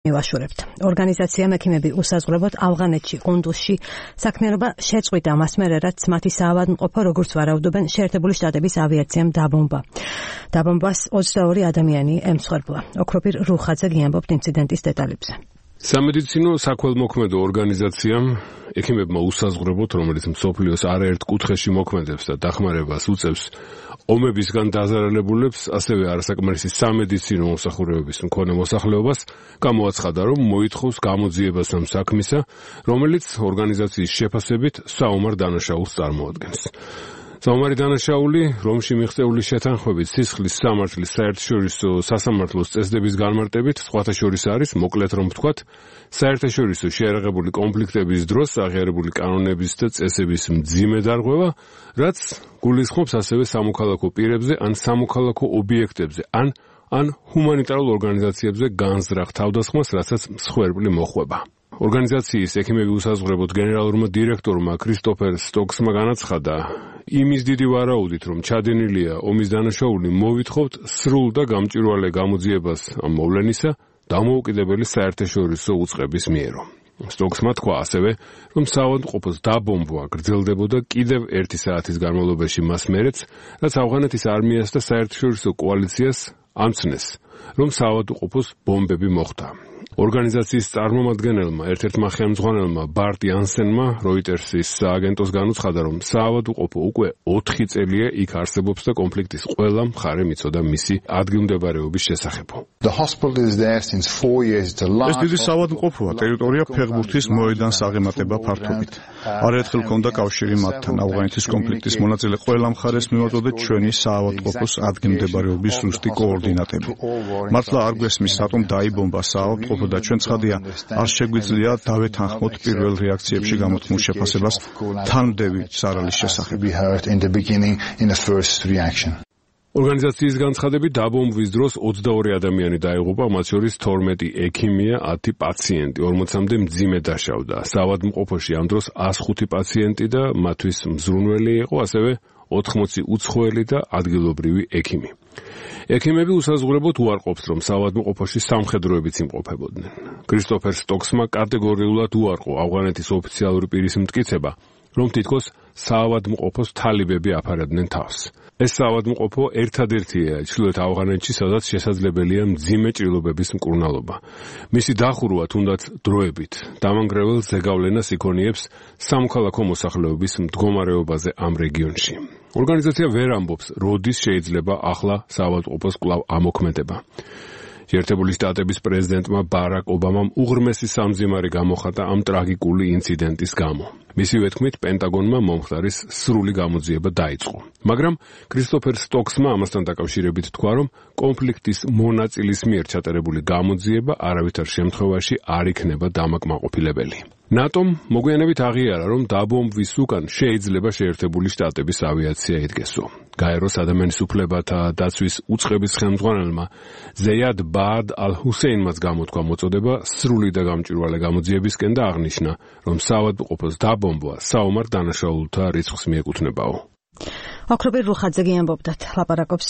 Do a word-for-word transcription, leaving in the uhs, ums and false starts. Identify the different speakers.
Speaker 1: მივაშურებთ. ორგანიზაციამ ექიმები უსაზღვრებოდ ავღანეთში, ყუნდუსში საქმიანობა შეწყვიტა მას მერე, რაც მათი საავადმყოფო როგორც ვარაუდობენ შეერთებული შტატების ავიაციამ დაბომბა. დაბომბას ოცდაორი ადამიანი ემსხვერპლა. ოქროპირ რუხაძე გიამბობთ ინციდენტის დეტალებზე.
Speaker 2: სამედიცინო საქველმოქმედო ორგანიზაციამ ექიმებმა უსაზღვრებოდ, რომელიც მსოფლიოს არაერთ კუთხეში მოქმედებს და დახმარებას უწევს ომებისგან დაზარალებულებს, ასევე არასაკმარისი სამედიცინო მომსახურებების მქონე მოსახლეობას, გამოაცხადა, რომ მოითხოვს გამოძიებას ამ საქმისა, რომელიც ორგანიზაციის შეფასებით საომარ დანაშაულს წარმოადგენს. საომარი დანაშაული, რომში მიღწეული შეთანხმებით სისხლის სამართლის საერთაშორისო სასამართლოს წესდების განმარტებით, სხვათა შორის არის, მოკლედ რომ ვთქვათ, საერთაშორისო შეიარაღებული კონფლიქტების დროს აღიარებული კანონების და წესების მძიმე დარღვევა, რაც გულისხმობს ასევე სამოქალაქო პირებზე ან სამოქალაქო ობიექტებზე, ან ან ჰუმანიტარულ ორგანიზაციებზე განზრახ თავდასხმას, რასაც მსხვერპლი მოხვება. ორგანიზაციის ექიმები უსაზღვრებოდ გენერალურმა დირექტორმა კრისტოფერ სტოქსმა განაცხადა, იმის დიდი ვარაუდით, რომ ჩადენილია ომის დანაშაული, მოვითხოვთ სრულ და გამჭვირვალე გამოძიებას ამ მოვლენისა დამოუკიდებელი საერთაშორისო უწყების მიერო. სტოქსმა თქვა ასევე, რომ საავადმყოფოს დაბომბვა გრძელდებოდა კიდევ ერთი საათის განმავლობაში მას მერეც, რაც ავღანეთის არმიას და საერთაშორისო კოალიციას ამცნეს, რომ საავადმყოფოს ბომბები მოხვდა. ორგანიზაციის წარმომადგენელმა, ერთ-ერთმა ხელმძღვანელმა ბარტ იანსენმა როიტერსის სააგენტოს განუცხადა, რომ საავადმყოფო უკვე ოთხი წელია იქ არსებობს და კონფლიქტის ყველა მხარე მიცოდა მისი ადგილმდებარეობის შესახებ.
Speaker 3: ეს დიდი საავადმყოფოა, ტერიტორია ფეხბურთის მოედანს აღემატება ფართობით. არაერთხელ ჰქონდა კავშირი მათთან. ავღანეთის კონფლიქტის მონაწილე ყველა მხარეს მივაწოდეთ ჩვენი საავადმყოფოს ადგილმდებარეობის ზუსტი კოორდინატები. მართლა არ გვესმის, რატომ დაიბომბა საავადმყოფო და ჩვენ ცხადია, არ შეგვიძლია დავეთანხმოთ პირველ რეაქციებში გამოთქმულ შეფასებას თანმდევი სარალის შესახებ.
Speaker 2: ორგანიზაციის განცხადებით დაბომბვის დროს ოცდაორი ადამიანი დაიღუპა, მათ შორის თორმეტი ექიმია, ათი პაციენტი, ორმოცამდე მძიმე დაშავდა. საავადმყოფოში ამ დროს ას ხუთი პაციენტი და მათთვის მზრუნველი იყო, ასევე ოთხმოცი უცხოელი და ადგილობრივი ექიმი. ექიმები უსაზღვრებოდ უარყოფს, რომ საავადმყოფოში სამხედროებიც იმყოფებოდნენ. კრისტოფერ სტოქსმა კატეგორიულად უარყო ავღანეთის ოფიციალური პირის მტკიცება, რომ თითქოს საავადმყოფოს თალიბები აფარებდნენ თავს. ეს საავადმყოფო ერთადერთია ჩრდილოეთ ავღანეთში, სადაც შესაძლებელია მძიმე ჭრილობების მკურნალობა. მისი დახურვა თუნდაც დროებით დამანგრეველ ზეგავლენას იქონიებს სამოქალაქო მოსახლეობის მდგომარეობაზე ამ რეგიონში. ორგანიზაცია ვერ ამბობს, როდის შეიძლება ახლა საავადმყოფოს კვლავ ამოქმედება. შეერთებული შტატების პრეზიდენტმა ბარაკ ობამამ უღრმესი სამძიმარი გამოხატა ამ ტრაგიკული ინციდენტის გამო. მისივე თქმით, პენტაგონმა მომხდარის სრული გამოძიება დაიწყო. მაგრამ კრისტოფერ სტოქსმა ამასთან დაკავშირებით თქვა, რომ კონფლიქტის მონაწილის მიერ ჩატარებული გამოძიება არავითარ შემთხვევაში არ იქნება დამაკმაყოფილებელი. ნატომ მოგვიანებით აღიარა, რომ დაბომბვის უკან შეიძლება შეერთებული შტატების ავიაცია იდგესო. გაეროს ადამიანის უფლებათა დაცვის უწყების ხელმძღვანელმა ზეიად ბაად ალ-ჰუსეინმაც გამოთქვა მოწოდება სრული და გამჭვირვალე გამოძიებისკენ და აღნიშნა, რომ საავადმყოფოს დაბომბვა საომარ დანაშაულთა რიცხვს მიეკუთვნებაო.
Speaker 1: ოქროპირ რუხაძე გიამბობდათ, ლაპარაკობს